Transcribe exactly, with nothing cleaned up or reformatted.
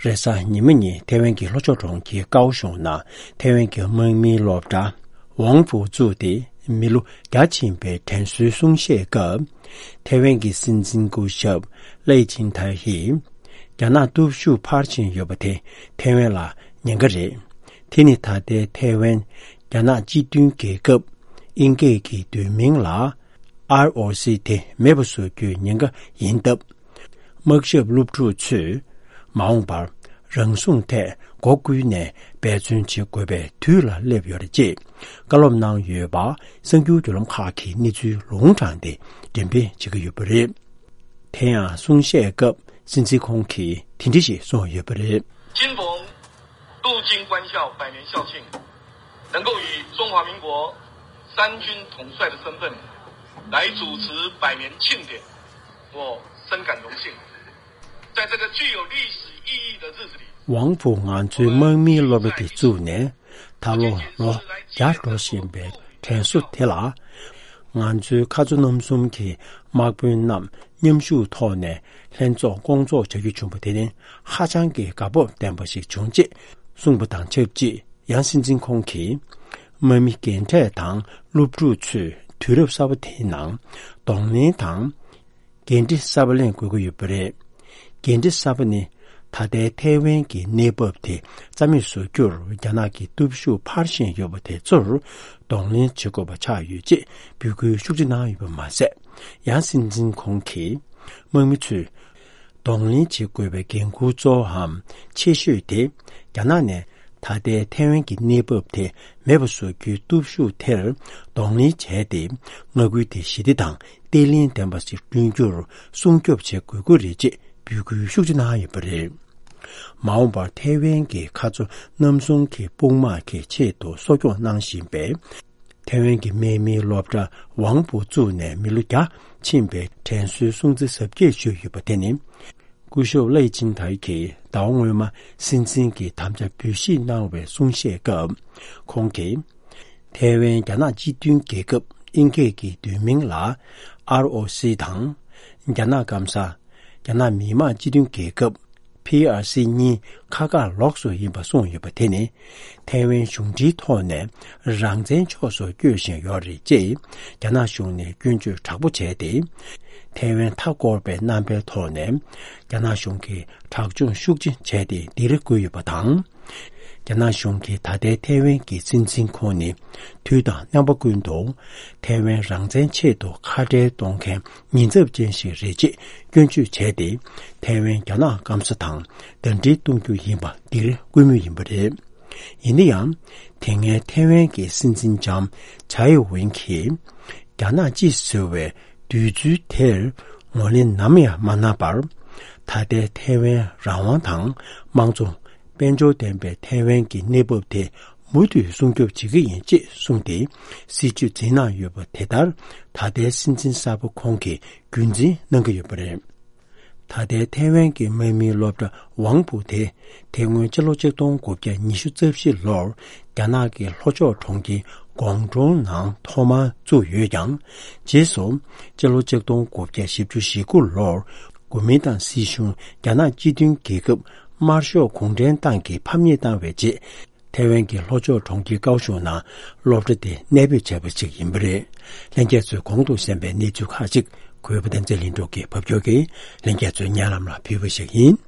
རེས་གཟའ་ཉི་མ་ཉིན་ཐེ་ཝན་གྱི་ལྷོ་ཕྱོགས་གྲོང་ཁྱེར་ཀའོ་ཤུང་ནང་ཐེ་ཝན་གྱི་དམག་མིའི་སློབ་གྲྭ་ཝང་ཧྥུའུ་བཙུགས་ཏེ་མི་ལོ་བརྒྱ་ཕྱིན་པའི་དྲན་གསོའི་གསུང་བཤད་སྐབས། ཐེ་ཝན་གྱི་སྲིད་འཛིན་སྐུ་ཞབས་ལེ་ཆིང་ཐའེ་ཡིས། རྒྱ་ནག་སྟོབས་ཤུགས་འཕར་བཞིན་ཡོད་པ་དེ་ཐེ་ཝན་ལ་ཉེན་ཁ་རེད། དེ་ནི་ད་ལྟའི་ཐེ་ཝན་རྒྱ་ནག་སྤྱི་མཐུན་རྒྱལ་ཁབ་དབྱིན་སྐད་ཀྱི་བསྡུས་མིང་ལ་ཨར་ཨོ་སི་དེ་མེད་པ་བཟོ་རྒྱུའི་ཉེན་ཁ་ཡིན་སྟབས། དམག་ཞབས་སློབ་ཕྲུག་ཚོས་མ་འོངས་པར་རང་སྲུང་ཐད་སྒོ་ཀུན་ནས་འབད་བརྩོན་བྱེད་དགོས་པའི་དུས་ལ་སླེབས་ཡོད་རེད་ཅེས་བཀའ་སློབ་གནང་ཡོད་པ་གསར་འགྱུར་བརྒྱུད་ལམ་ཁག་གིས་གནས་ཚུལ་ལུང་དྲངས་ཏེ་འགྲེམས་སྤེལ་བྱེད་ཀྱི་ཡོད་པ་རེད། དེ་ཡང་གསུང་བཤད་སྐབས་སྲིད་འཛིན་ཁོང་གིས་དེ་འདྲ་ཞིག་གསུངས་ཡོད་པ་རེད། 今逢镀金官校百年校庆，能够以中华民国三军统帅的身份来主持百年庆典，我深感荣幸。在这个具有历史意义的日子里， ཝང་ཧྥུའུ་ང་ཚོའི་དམག་མིའི་སློབ་གྲྭ་དེ་བཙུགས་ནས་ད་ལོ་ལོ་བརྒྱ་འགྲོ་བཞིན་པའི་དྲན་གསོ་དེ་ལ། ང་ཚོའི་ཁ་མཆུ་རྣམ་གསུམ་གྱི་དམག་དཔོན་རྣམས་མཉམ་ཞུགས་ཐོག་ནས་ལྷན་ཚོགས་བསྐོང་ཚོགས་བྱ་རྒྱུ་བྱུང་བ་དེ་ནི་ཧ་ཅང་གི་དགའ་སྤོབས་ལྡན་པ་ཞིག་བྱུང་ཅེས་གསུངས་པ་དང་ཆབས་ཅིག་ཡང་སྲིད་འཛིན་ཁོང་གིས་དམག་མི་རྒན་གྲས་དང་སློབ་ཕྲུག་ཚོས་དུས་རབས་གསར་པ་དེའི་ནང་གདོང་ལེན་དང་། འགན་འཁྲི་གསར་པ་ལེན་དགོས་ཀྱི་ཡོད་པ་རེད། འགན་འཁྲི་གསར་པ་ནི་ད་ལྟའི་ཐའེ་ཝན་གྱི་གནས་བབ་དེ་རྩ་མེད་བཟོ་རྒྱུར་རྒྱ་ནག་གི་སྟོབས་ཤུགས་འཕར་བཞིན་ཡོད་པ་དེ་ཚོར་གདོང་ལེན་བྱེད་དགོས་པ་ཆགས་ཡོད་ཅེས་འབོད་སྐུལ་ཤུགས་ཆེ་གནང་ཡོད་པ་མ་ཟད། ཡང་སྲིད་འཛིན་ཁོང་གིས་དམག་མི་ཚོས་གདོང་ལེན་བྱེད་དགོས་པའི་འགན་ཁུར་གཙོ་བོའམ་ཆེ་ཤོས་དེ་རྒྱ་ནག་ནས་ད་ལྟའི་ཐའེ་ཝན་གྱི་གནས་བབ་དེ་མེད་པ་བཟོ་རྒྱུའི་སྟོབས་ཤུགས་དེར་གདོང་ལེན་བྱས་ཏེ། མངའ་ཁུལ་དེ་ཞི་བདེ་དང་བརྟན་ལྷིང་ལྡན་པ་ཞིག་བསྐྲུན་རྒྱུར་སྲུང་སྐྱོབ་བྱེད་དགོས་ཀྱི་རེད་ཅེས་འབོད་སྐུལ་ཤུགས་ཆེ་གནང་ཡོད་པ་རེད། མ་འོངས་པར་ཐའེ་ཝན་གྱི་ཁ་མཆུ་རྣམ་གསུམ་གྱི་དཔུང་དམག་གི་ཆེད་དུ་གསོ་སྐྱོང་གནང་བཞིན་པའི་ཐའེ་ཝན་གྱི་དམག་མིའི་སློབ་གྲྭ་ཝང་ཧྥུའུ་བཙུགས་ནས་མི་ལོ་བརྒྱ་ཕྱིན་པའི་དྲན་གསོའི་སྲུང་བརྩི་གཟབ་རྒྱས་ཞུས་ཡོད་པ་དེ་ནི། སྐུ་ཞབས་ལའེ་ཆིང་ཐའེ་གིས་ཟླ་བ་སྔོན་མ་སྲིད་འཛིན་གྱི་དམ་བཅའ་འབུལ་བཞེས་གནང་བའི་གསུང་བཤད་སྐབས། ཁོང་གིས། ཐའེ་ཝན་རྒྱ་ནག་སྤྱི་མཐུན་རྒྱལ་ཁབ་དབྱིན་སྐད་ཀྱི་བསྡུས་མིང་ལ་ཨར་ཨོ་སི་དང་། རྒྱ་ནག་སྐམ་ས། རྒྱ་ནག་མི་དམངས་སྤྱི་མཐུན་རྒྱལ་ཁབ་ཕི་ཨར་སི་གཉིས་ཁ་ཁ་ལོགས་སུ་ཡིན་པ་གསུངས་ཡོད་པ་དེ་ནི། ཐའེ་ཝན་གཞུང་འབྲེལ་ཐོག་ནས་རང་བཙན་ཕྱོགས་སུ་བསྐྱོད་བཞིན་ཡོད་རེད་ཅེས་རྒྱ་ནག་གཞུང་ནས་སྐྱོན་བརྗོད་དྲག་པོ་བྱས་ཏེ། ཐའེ་ཝན་མཐའ་བསྐོར་བའི་རྣམ་པའི་ཐོག་ནས་རྒྱ་ནག་གཞུང་གིས་དྲག་སྦྱོང་ཤུགས་ཆེ་བྱས་ཏེ་སྡིགས་ར་བསྐུལ་ཡོད་པ་དང་། རྒྱ་ནག་གཞུང་གིས་ད་ལྟའི་ཐའེ་ཝན་གྱི་སྲིད་འཛིན་ཁོང་ནི་དུས་དང་རྣམ་པ་ཀུན་ཏུ་ཐའེ་ཝན་རང་བཙན་ཆེད་དུ་ཁ་བྲལ་གཏོང་མཁན་ཉེན་ཚབས་ཅན་ཞིག་རེད་ཅེས་སྐྱོན་བརྗོད་བྱས་ཏེ། ཐའེ་ཝན་རྒྱ་ནག་སྐམ་ས་དང་ཟླ་སྒྲིལ་གཏོང་རྒྱུ་ཡིན་པ་སྡིགས་ར་བསྐུལ་མུས་ཡིན་པ་རེད། ཡིན་ན་ཡང་། དེ་སྔའི་ཐའེ་ཝན་གྱི་སྲིད་འཛིན་ལྕམ་ཇའི་ཝེན་གྱིས་རྒྱ་ནག་སྤྱི་ཟེར་བའི་འདོད་ཚུལ་དེར་ངོས་ལེན་ནམ་ཡང་མ་གནང་བར། ད་ལྟའི་ཐའེ་ཝན་རང་དབང་དང་དམངས་གཙོ། དཔལ་འབྱོར་ལྡན་པའི་ཐའེ་ཝན་གྱི་གནས་བབ་དེ་མུ་མཐུད་སྲུང་སྐྱོབ་བྱེད་ཀྱི་ཡིན་ཅེས་གསུངས་ཏེ། སྲིད་བྱུས་འཛིན་གནང་ཡོད་པ་དེ་ལྟར་ད་ལྟའི་སྲིད་འཛིན་གསར་པ་ཁོང་གིས་རྒྱུན་འཛིན་གནང་གི་ཡོད་པ་རེད། ད་ལྟའི་ཐའེ་ཝན་གྱི་དམག་མིའི་སློབ་གྲྭ་ཝང་ཧྥུའུ་དེ། དེ་སྔོན་ཕྱི་ལོ་ཆིག་སྟོང་དགུ་བརྒྱ་ཉི་ཤུ་རྩ་བཞི་ལོར་རྒྱ་ནག་གི་ལྷོ་ཕྱོགས་གྲོང་ཁྱེར་ཀོང་ཀྲོའུ་ནང་ཐོག་མར་བཙུགས་ཡོད་ཀྱང་། རྗེས་སུ་ཕྱི་ལོ་ཆིག་སྟོང་དགུ་བརྒྱ་བཞི་བཅུ་ཞེ་དགུ་ལོར་གོ་མིན་ཏང་སྲིད་གཞུང་རྒྱ་ནག་སྤྱི་མཐུན་རྒྱལ་ཁབ་དམར་ཤོག་གུང་ཁྲན་ཏང་གིས་ཕམ་ཉེས་བཏང་བའི་རྗེས། ཐའེ་ཝན་གྱི་ལྷོ་ཕྱོགས་གྲོང་ཁྱེར་ཀའོ་ཤུང་ནང་སློབ་གྲྭ་དེ་གནས་སྤོས་བྱས་པ་ཞིག་ཡིན་པ་རེད། ལྷན་རྒྱས་ཚོས་གོང་དུ་གསན་པའི་གནས་ཚུལ་ཁག་ཅིག་གུས་པ་བསྟན་འཛིན་ལྷུན་གྲུབ་ཀྱིས་ཕབ་སྒྱུར་གྱིས་ལྷན་རྒྱས་ཚོའི་སྙན་ལམ་ལ་ཕུལ་བ་ཞིག་ཡིན།